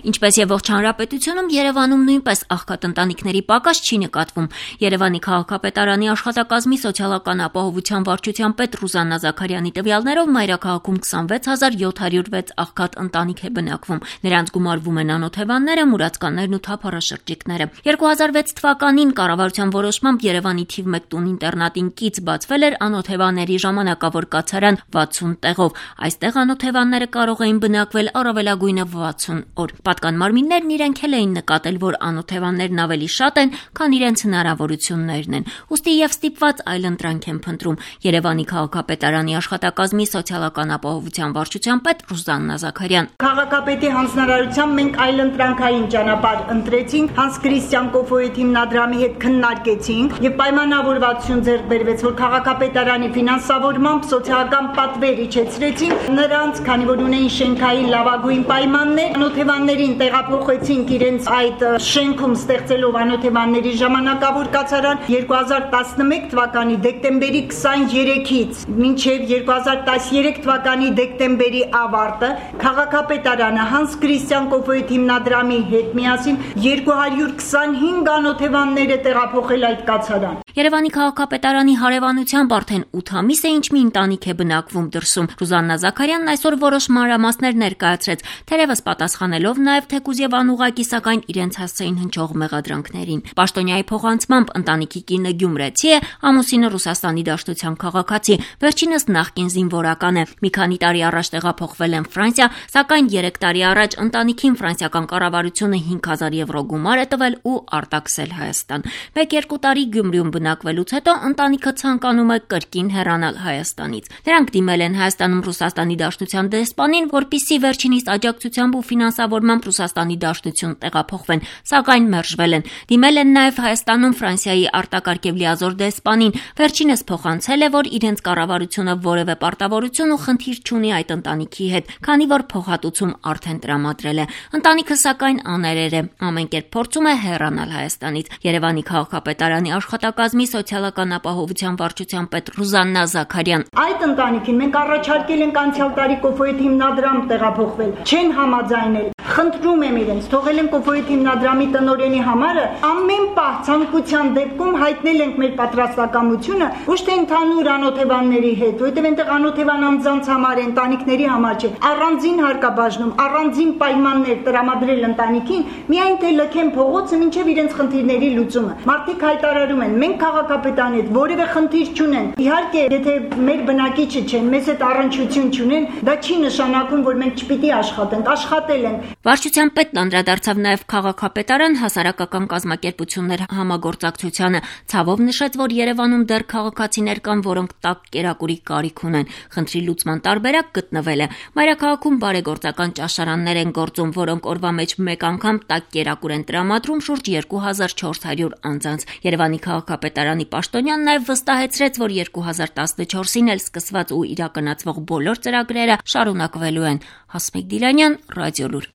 Ինչպես եւ ողջ հանրապետությունում, Երևանում նույնպես աղքատ ընտանիքների պակաս չի նկատվում։ Երևանի քաղաքապետարանի աշխատակազմի սոցիալական ապահովության վարչության պետ Ռուզաննա Զաքարյանի տվյալներով մայրաքաղաքում 26706 աղքատ ընտանիք է բնակվում։ Նրանց գումարվում են անօթևանները, մուրացկաններն ու թափառաշրջիկները։ 2006 թվականին կառավարության որոշմամբ Երևանի թիվ 1 տուն-ինտերնատին կից բացվել էր անօթևանների ժամանակավոր կացարան 60 տեղով։ Այստեղ անօթևանները կարող էին բնակվել առավելագույնը 60 օր։ Պատկան մարմիններն իրենք էլ էին նկատել, որ անօթևաններն ավելի շատ են, քան իրենց հնարավորություններն են։ Ուստի եւ ստիպված այլընտրանք են փնտրում։ Երևանի քաղաքապետարանի աշխատակազմի սոցիալական ապահովության վարչության պետ Ռուզաննա Զաքարյան։ Քաղաքապետի հանձնարարությամբ մենք այլընտրանքային ճանապարհ ընտրեցինք, Հանս Քրիստիան Կոֆոյեթ հիմնադրամի հետ քննարկեցինք եւ պայմանավորվածություն ձեռք բերվեց, որ քաղաքապետարանի ֆինանսավորմամբ սոցիալական պատվեր իջեցրեցինք նրանց, քանի որ ունեին շենքային լավագույն պայմաններ, անօթևաններին տեղափոխեցինք իրենց այդ շենքում ստեղծելով անօթևանների ժամանակավոր կացարան 2011 թվականի դեկտեմբերի 23-ից մինչև 2013 թվականի դեկտեմբերի ավարտը քաղաքապետարանը Հանս Քրիստիան Կոֆոյեթ հիմնադրամի հետ միասին 225 անօթևաններ է տեղափոխել այդ կացարան։ Երևանի քաղաքապետարանի հարևանությամբ արդեն 8 ամիս է ինչ մի ընտանիք է բնակվում դրսում։ Ռուզաննա Զաքարյանն այսօր որոշ մանրամասներ ներկայացրեց, թերևս պատասխանելով նաև թեկուզ եւ անուղղակի, սակայն իրենց հասցեին հնչող մեղադրանքներին։ Պաշտոնյայի փոխանցմամբ ընտանիքի կինը գյումրեցի է, ամուսինը Ռուսաստանի Դաշնության քաղաքացի, վերջինս նախկին զինվորական է։ Մի քանի տարի առաջ տեղափոխվել են Ֆրանսիա, սակայն 3 տարի առաջ ընտանիքին ֆրանսիական կառավարությունը 5000 եվրո գումար է տվել ու արտաքսել Հայաստան։ 1-2 տարի Գյումրիում բնակվելուց հետո ընտանիքը ցանկանում է կրկին հեռանալ Հայաստանից։ Նրանք դիմել են Հայաստանում Ռուսաստանի Դաշնության դեսպանին, որպեսզի վերջինիս աջակցությամբ ու ֆինանսավորմամբ Ռուսաստանի Դաշնություն տեղափոխվեն, սակայն մերժվել են։ Դիմել են նաև Հայաստանում Ֆրանսիայի արտակարգ եւ լիազոր դեսպանին։ Վերջինս փոխանցել է, որ իրենց կառավարությունը որևէ պարտավորություն ու խնդիր չունի այդ ընտանիքի հետ, քանի որ փոխհատուցում արդեն տրամադրել է։ Ընտանիքը սակայն աներեր է, ամեն կերպ փորձում է հեռանալ Հայաստանից։ Երևանի քաղաքապետարանի աշխատակազմի սոցիալական ապահովության վարչության պետ Ռուզաննա Զաքարյան։ Այդ ընտանիքին մենք առաջարկել ենք անցյալ տարի Կոֆոյեթ հիմնադրամ տեղափոխվել, չեն համաձայնել։ Խնդրում եմ իրենց, թողել են Կոֆոյեթ հիմնադրամի տնօրենի համարը, ամեն պահ ցանկության դեպքում հայտնել ենք մեր պատրաստակամությունը, ոչ թե ընդհանուր անօթևանների հետ, որովհետև այնտեղ անօթևան անձանց համար է, ընտանիքների համար չէ։ Առանձին հարկաբաժնում, առանձին պայմաններ տրամադրել ընտանիքին, միայն թե լքեն փողոցը մինչև իրենց խնդիրների լուծումը։ Մարդիկ հայտարարում են, մենք քաղաքապետարանի հետ որևէ խնդիր չունենք։ Իհարկե, եթե մեր բնակիչը չեն, մեզ հետ առնչություն չունեն, դա չի նշանակում, որ մենք չպիտի աշխատենք, աշխատել ենք։ Վարչության պետն անդրադարձավ նաև քաղաքապետարան հասարակական կազմակերպություններ համագործակցությանը, ցավով նշեց, որ Երևանում դեռ քաղաքացիներ կան, որոնք տաք կերակուրի կարիք ունեն։ Խնդրի լուծման տարբերակ գտնվել է։ Մայրաքաղաքում բարեգործական ճաշարաններ են գործում, որոնք օրվա մեջ մեկ անգամ տաք կերակուր են տրամադրում շուրջ 2400 անձանց։ Երևանի քաղաքապետարանի պաշտոնյան նաև վստահեցրեց, որ 2014-ին էլ սկսված ու իրականացվող բոլոր ծրագրերը շարունակվելու են։ Հասմիկ Դիլանյան, Ռադիոլուր։